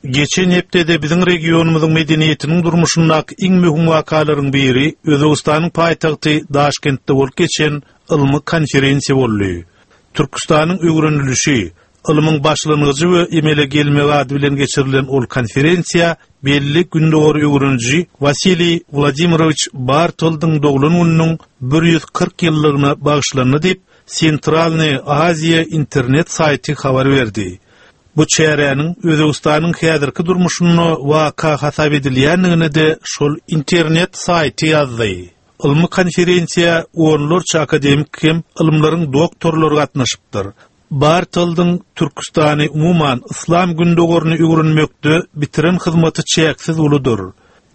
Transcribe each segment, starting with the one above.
Geçen hepdede biziň regionymyzyň medeniýetiniň durmuşyndaky iň möhüm wakalaryň biri Özbegistanyň paýtagty Daşkentde bolup geçen ylmy konferensiýa boldy. Türküstanyň öwrenilişi, ylmyň başlangyjy we emele gelmegi ady bilen geçirilen ol konferensiýa belli gündogary öwreniji Wasiliý Wladimirowiç Bartoldyň doglan gününiň 140 ýyllygyna bagyşlandy diýip, Sentralnyý Aziýa internet saýty habar berdi. Bu çäräniň Özbegistanyň häzirki durmuşynda waka hasap edilýändigini-de şol internet saýty ýazdy. Ylmy konferensiýa onlarça akademik hem ylymlaryň doktorlary gatnaşypdyr. Bartoldyň Türküstany, umuman, Yslam Gündogaryny öwrenmekde bitiren hyzmaty çäksiz uludyr.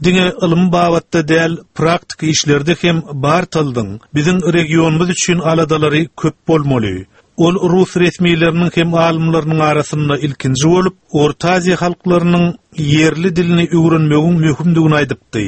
Diňe ylmy babatda däl, praktiki işlerde hem Bartoldyň biziň regionymyz üçin aladalary köp bolmaly. Ol rus resmileriniň hem alymlarynyň arasynda ilkinji bolup, Orta Aziýa halklarynyň ýerli dilini öwrenmegiň möhümdigini aýdypdy.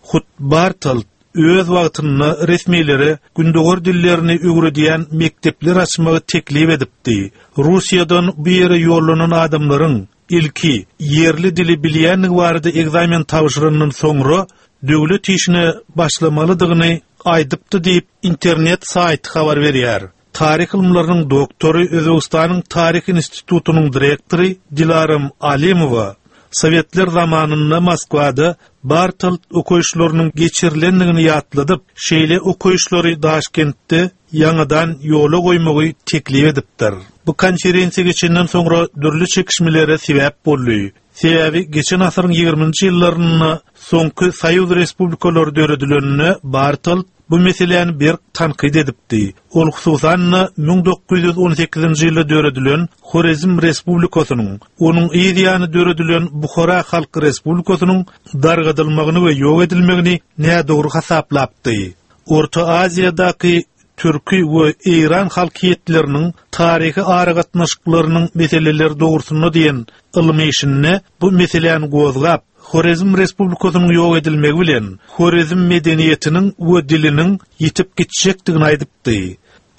Hut Bartold öz wagtynda resmilere gündogar dillerini öwredýän mekdepler açmagy teklip edipdi. Russiýadan bu ýere ýollanan adamlaryň ilki ýerli dili bilýändigi barada ekzamen tabşyrandan soňra döwlet işine başlamalydygyny aýdypdy diýip, internet saýty habar berýär. Taryh ylymlarynyň doktory, Özbegistanyň Taryh institutynyň direktory Dilaram Alimowa Sowetler zamanynda Moskwada Bartold okaýyşlarynyň geçirilendigini ýatladyp, şeýle okaýyşlary Daşkentde ýaňadan ýola goýmagy teklip edipdir. Bu konferensiýa geçenden soňra dürli çekişmelere sebäp boldy. Sebäbi geçen asyryň ýigriminji ýyllarynda soňky soýuz respublikalary döredileninde Bartold bu meseläni berk tankyt edipdi. Ol hususan-da 1918-nji ýylda döredilen Horezm Respublikasynyň, onuň yz ýany döredilen Buhara Halk Respublikasynyň dargadylmagyny we ýok edilmegini nädogry hasaplapdy. Orta Aziýadaky türki we eýran halkyýetleriniň taryhy aragatnaşyklarynyň meseleleri dogrusynda diýen ylmy işinde bu meseläni gozgap, Horezm Respublikasynyň ýok edilmegi bilen Horezm medeniýetiniň we diliniň ýitip gitjekdigini aýdypdy.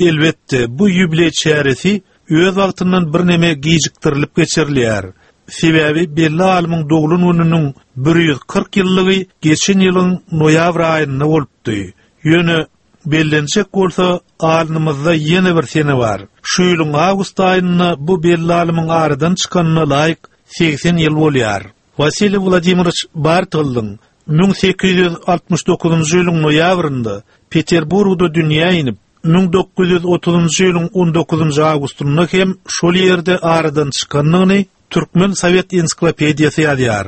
Elbetde, bu ýubileý çäresi öz wagtyndan birneme gijikdirilip geçirilýär. Sebäbi belli alymyň doglan gününiň 140 ýyllygy geçen ýylyň noýabr aýynda bolupdy. Ýöne, bellenjek bolsa, alnymyzda ýene bir sene bar. Şu ýylyň awgust aýynda bu belli alymyň aradan çykanyna laýyk 80 ýyl bolýar. Wasiliý Wladimirowiç Bartoldyň 1869-njy ýylyň noýabrynda Peterburgda dünýä inip, 1930-njy ýylyň on dokuzynjy awgustynda hem şol ýerde aradan çykandygyny Türkmen sowet ensiklopediýasy ýazýar.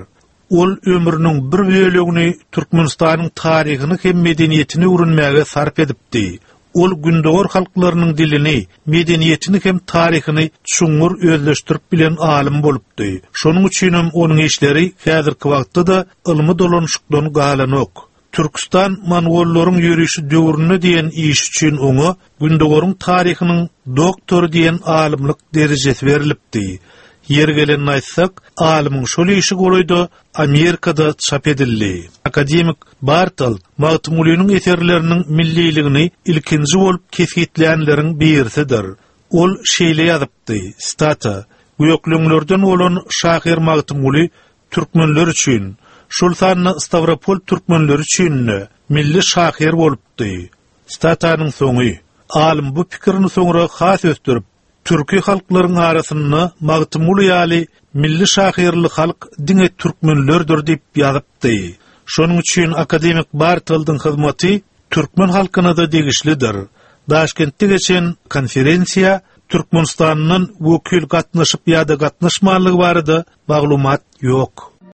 Ol ömrüniň bir bölegini Türkmenistanyň taryhyny hem medeniýetini öwrenmäge sarp edipdi. Ol gündogar halklarynyň dilini, medeniýetini hem taryhyny çuňňur özleşdirip bilen alym bolupdy. Şonuň üçinem onuň işleri häzirki wagtda-da ylmy dolanyşykdan galanok. Türküstan mongollaryň ýörişi döwründe diýen işi üçin oňa Gündogaryň taryhynyň doktory diýen alymlyk derejesi berlipdi. Ýeri gelende aýtsak, alymyň şol işi golaýda Amerikada çap edildi. Akademik Bartold Magtymgulynyň eserleriniň milliligini ilkinji bolup kesgitlänleriň birisidir. Ol şeýle ýazypdy, sitata, Gökleňlerden bolan şahyr Magtymguly türkmenler üçin, şol sanda Stawropol türkmenleri üçin-de milli şahyr bolupdy. Sitatanyň soňy. Alym bu pikirini soňra has ösdürip, Türki halklaryň arasynda Magtymguly ýaly milli şahyrly halk diňe türkmenlerdir diýip ýazypdy. Şonuň üçin akademik Bartoldyň hyzmaty türkmen halkyna-da degişlidir. Daşkentde geçen konferensiýa Türkmenistandan wekil gatnaşyp ýa-da gatnaşmanlygy barada maglumat ýok.